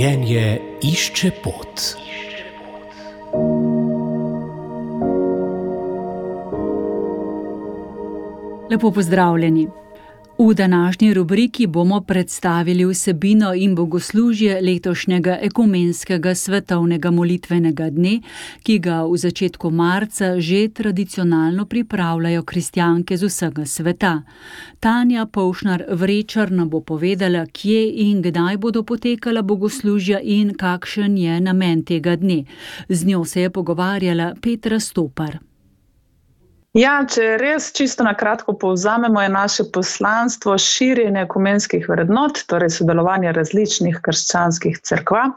Življenje išče pot. Lepo pozdravljeni. V današnji rubriki bomo predstavili vsebino in bogoslužje letošnjega ekumenskega svetovnega molitvenega dne, ki ga v začetku marca že tradicionalno pripravljajo kristjanke z vsega sveta. Tanja Povšnar-Vrečar nam bo povedala, kje in kdaj bodo potekala bogoslužja in kakšen je namen tega dne. Z njo se je pogovarjala Petra Stopar. Ja, če res čisto na kratko povzamemo, je naše poslanstvo širjenje ekumenskih vrednot, torej sodelovanje različnih krščanskih cerkva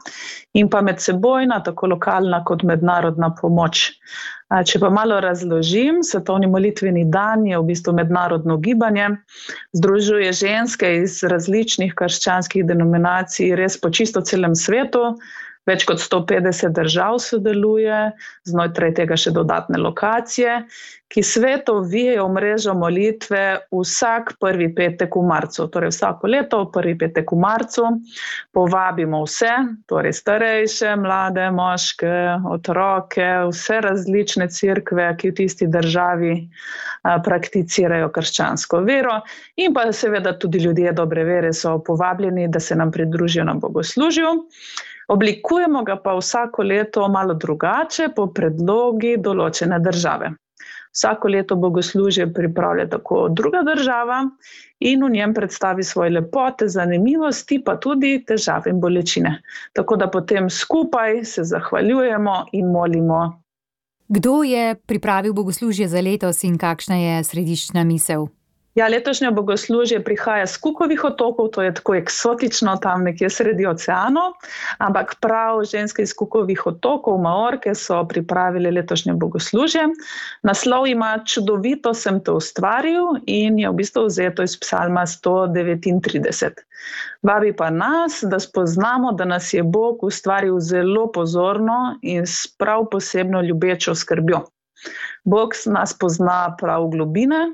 in pa medsebojna, tako lokalna kot mednarodna pomoč. Če pa malo razložim, svetovni molitveni dan je v bistvu mednarodno gibanje, združuje ženske iz različnih krščanskih denominacij res po čisto celem svetu. Več kot 150 držav sodeluje, znotraj tega še dodatne lokacije, ki svetu vijejo v mrežo molitve vsak prvi petek v marcu. Torej vsako leto prvi petek v marcu povabimo vse, torej starejše, mlade, moške, otroke, vse različne cerkve, ki v tisti državi prakticirajo krščansko vero, in pa seveda tudi ljudje dobre vere so povabljeni, da se nam pridružijo na bogoslužju. Oblikujemo ga pa vsako leto malo drugače po predlogi določene države. Vsako leto bogoslužje pripravlja tako druga država in v njem predstavi svoje lepote, zanimivosti, pa tudi težave in bolečine. Tako da potem skupaj se zahvaljujemo in molimo. Kdo je pripravil bogoslužje za letos in kakšna je središčna misel? Ja, letošnje bogoslužje prihaja s Cookovih otokov, to je tako eksotično tam nekje sredi oceanov, ampak prav ženske iz Cookovih otokov, Maorke, so pripravili letošnje bogoslužje. Naslov ima Čudovito sem te ustvaril in je v bistvu vzeto iz psalma 139. Vabi pa nas, da spoznamo, da nas je Bog ustvaril zelo pozorno in s prav posebno ljubečo skrbjo. Bog nas pozna prav v globine,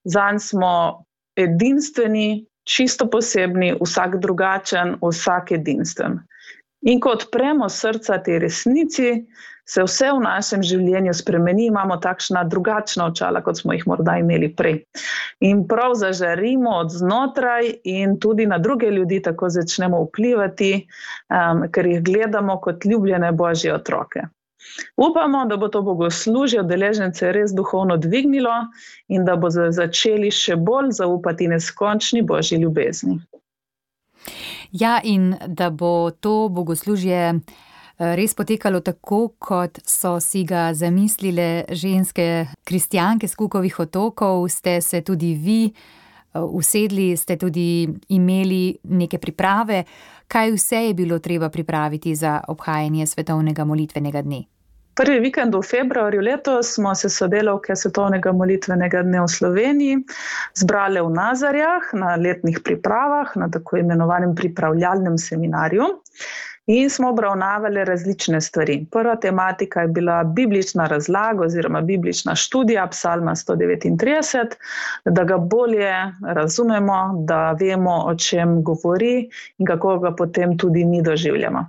zanj smo edinstveni, čisto posebni, vsak drugačen, vsak edinstven. In ko odpremo srca tej resnici, se vse v našem življenju spremeni, imamo takšna drugačna očala, kot smo jih morda imeli prej. In prav zažarimo od znotraj in tudi na druge ljudi tako začnemo vplivati, ker jih gledamo kot ljubljene Božje otroke. Upamo, da bo to bogoslužje udeležence res duhovno dvignilo in da bo začeli še bolj zaupati neskončni Božji ljubezni. Ja, in da bo to bogoslužje res potekalo tako, kot so si ga zamislile ženske kristjanke s Cookovih otokov, ste se tudi vi usedli, ste tudi imeli neke priprave. Kaj vse je bilo treba pripraviti za obhajanje svetovnega molitvenega dne? Prvi vikend v februarju letos smo se sodelavke svetovnega molitvenega dne v Sloveniji zbrale v Nazarjah na letnih pripravah, na tako imenovanem pripravljalnem seminarju in smo obravnavali različne stvari. Prva tematika je bila biblična razlaga oziroma biblična študija psalma 139, da ga bolje razumemo, da vemo, o čem govori in kako ga potem tudi mi doživljamo.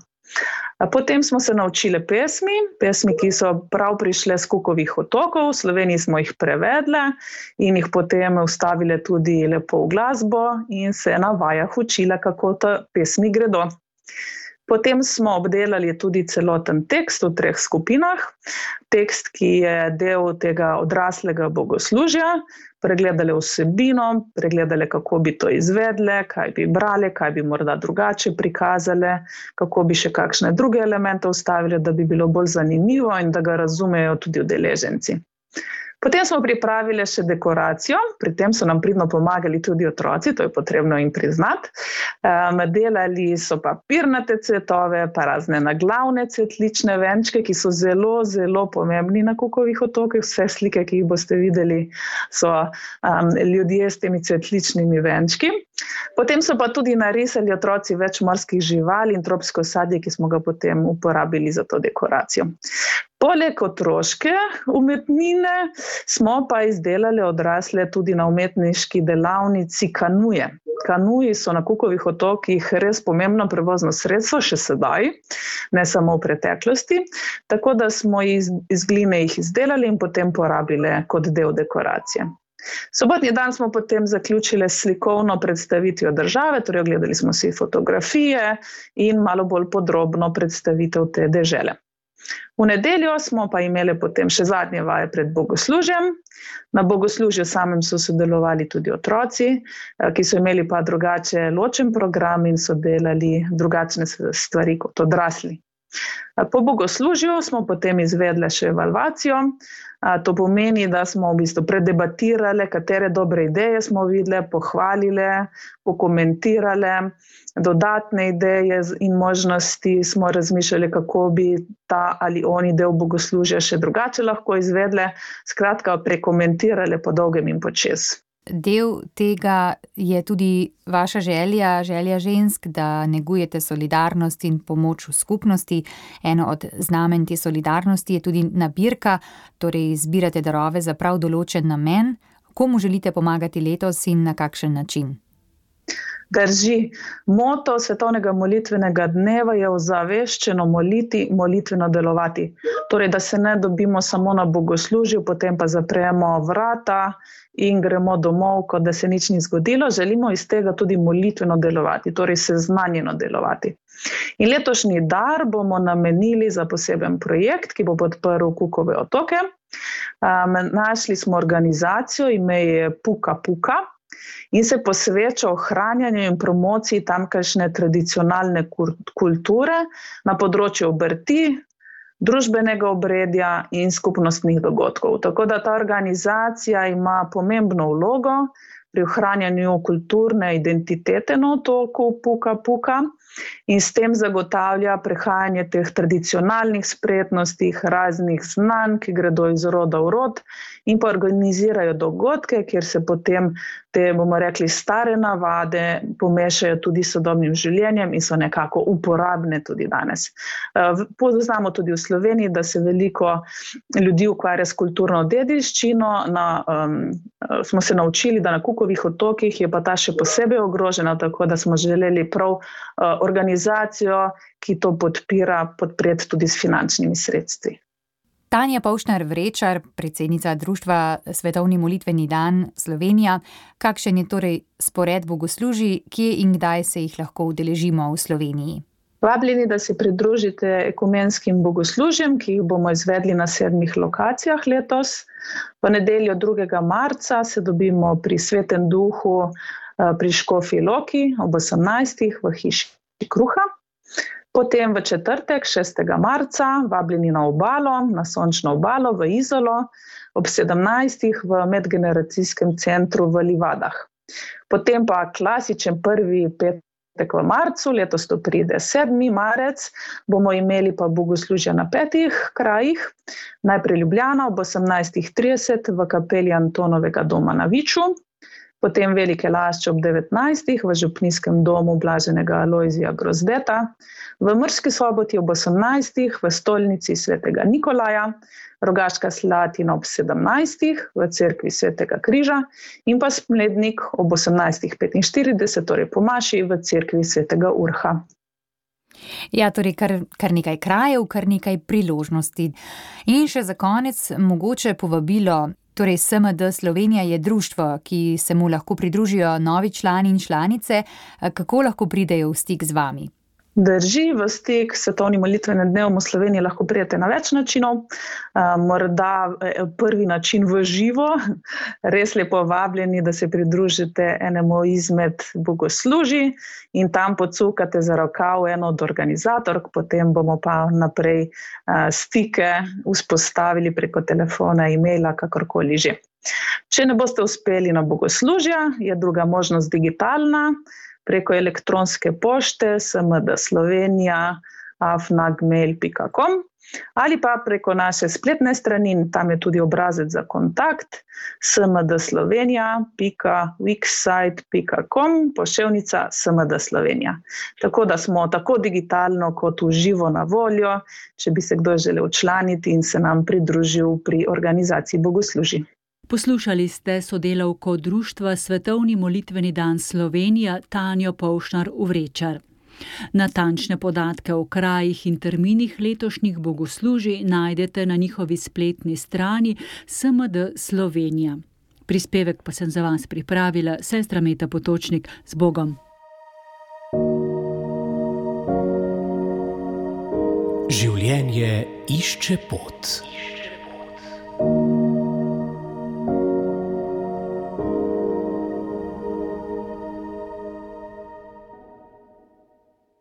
Potem smo se naučili pesmi, ki so prav prišle s Cookovih otokov, v Sloveniji smo jih prevedle in jih potem vstavile tudi lepo v glasbo in se na vajah učile, kako te pesmi gredo. Potem smo obdelali tudi celoten tekst v 3 skupinah. Tekst, ki je del tega odraslega bogoslužja, pregledali vsebino, pregledali, kako bi to izvedle, kaj bi brali, kaj bi morda drugače prikazali, kako bi še kakšne druge elemente vstavili, da bi bilo bolj zanimivo in da ga razumejo tudi udeleženci. Potem smo pripravili še dekoracijo, pri tem so nam pridno pomagali tudi otroci, to je potrebno jim priznati. Delali so papirnate cvetove, pa razne naglavne cvetlične venčke, ki so zelo, zelo pomembni na Cookovih otokih. Vse slike, ki jih boste videli, so ljudje s temi cvetličnimi venčki. Potem so pa tudi narisali otroci več morskih živali in tropsko sadje, ki smo ga potem uporabili za to dekoracijo. Poleg otroške umetnine smo pa izdelali odrasle tudi na umetniški delavnici kanuje. Kanuji so na Cookovih otokih res pomembno prevozno sredstvo, še sedaj, ne samo v preteklosti, tako da smo iz gline jih izdelali in potem porabili kot del dekoracije. Sobotni dan smo potem zaključili s slikovno predstavitvijo države, torej ogledali smo si fotografije in malo bolj podrobno predstavitev te dežele. V nedeljo smo pa imeli potem še zadnje vaje pred bogoslužjem. Na bogoslužju samem so sodelovali tudi otroci, ki so imeli pa drugače ločen program in so delali drugačne stvari kot odrasli. Po bogoslužju smo potem izvedli še evalvacijo. To pomeni, da smo v bistvu predebatirali, katere dobre ideje smo videli, pohvalili, pokomentirali, dodatne ideje in možnosti smo razmišljali, kako bi ta ali oni del bogoslužja še drugače lahko izvedli, skratka prekomentirali po dolgem in počez. Del tega je tudi vaša želja žensk, da negujete solidarnost in pomoč v skupnosti. Eno od znamen te solidarnosti je tudi nabirka, torej zbirate darove za prav določen namen. Komu želite pomagati letos in na kakšen način? Drži. Moto Svetovnega molitvenega dneva je ozaveščeno moliti, molitveno delovati. Torej, da se ne dobimo samo na bogoslužju, potem pa zapremo vrata in gremo domov, kot da se nič ni zgodilo. Želimo iz tega tudi molitveno delovati, torej seznanjeno delovati. In letošnji dar bomo namenili za poseben projekt, ki bo podprl Cookove otoke. Našli smo organizacijo, ime je Puka Puka, in se posveča ohranjanju in promociji tamkajšnje tradicionalne kulture na področju obrti, družbenega obredja in skupnostnih dogodkov. Tako da ta organizacija ima pomembno vlogo pri ohranjanju kulturne identitete na otoku Puka Puka in s tem zagotavlja prehajanje teh tradicionalnih spretnosti, raznih znanj, ki gredo iz roda v rod in pa organizirajo dogodke, kjer se potem te, bomo rekli, stare navade pomešajo tudi s sodobnim življenjem in so nekako uporabne tudi danes. Poznamo tudi v Sloveniji, da se veliko ljudi ukvarja s kulturno dediščino. Smo se naučili, da na Cookovih otokih je pa ta še posebej ogrožena, tako da smo želeli prav organizacijo, ki to podpreti tudi s finančnimi sredstvi. Tanja Pavšnar-Vrečar, predsednica Društva Svetovni molitveni dan Slovenija. Kakšen je torej spored bogoslužij, kje in kdaj se jih lahko udeležimo v Sloveniji? Vabljeni, da se pridružite ekumenskim bogoslužjem, ki jih bomo izvedli na 7 lokacijah letos. V nedeljo 2. marca se dobimo pri Svetem duhu pri Škofji Loki ob 18. v hiši Kruha. Potem v četrtek, 6. marca, vabljeni na obalo, na sončno obalo v Izolo, ob 17. v medgeneracijskem centru v Livadah. Potem pa klasičen prvi petek v marcu, letos to pride 7. marec, bomo imeli pa bogoslužja na 5 krajih. Najprej Ljubljana ob 18.30 v kapeli Antonovega doma na Viču. Potem Velike Lašče ob 19. v župnijskem domu Blaženega Alojzija Grozdeta, v Murski Soboti ob 18. v stolnici svetega Nikolaja, Rogaška Slatina ob 17. v cerkvi svetega Križa in pa Smlednik ob 18.45, torej po maši v cerkvi svetega Urha. Ja, torej kar nekaj krajev, kar nekaj priložnosti. In še za konec mogoče povabilo. Torej SMD Slovenija je društvo, ki se mu lahko pridružijo novi člani in članice. Kako lahko pridejo v stik z vami? Drži, v stik s Svetovnim molitvenim dnevom v Sloveniji lahko pridete na več načinov. Morda prvi način v živo, res lepo vabljeni, da se pridružite enemu izmed bogoslužij in tam pocukate za rokav eno od organizatork, potem bomo pa naprej stike vzpostavili preko telefona, e-maila, kakorkoli že. Če ne boste uspeli na bogoslužja, je druga možnost digitalna, preko elektronske pošte smdslovenija smd@gmail.com ali pa preko naše spletne strani, in tam je tudi obrazec za kontakt, smdslovenija.wixsite.com/smd-slovenija. Tako da smo tako digitalno kot v živo na voljo, če bi se kdo želel včlaniti in se nam pridružil pri organizaciji bogoslužij. Poslušali ste sodelavko Društva Svetovni molitveni dan Slovenija Tanjo Povšnar-Uvrečar. Natančne podatke o krajih in terminih letošnjih bogoslužij najdete na njihovi spletni strani SMD Slovenija. Prispevek pa sem za vas pripravila sestra Meta Potočnik. Z Bogom. Življenje išče pot.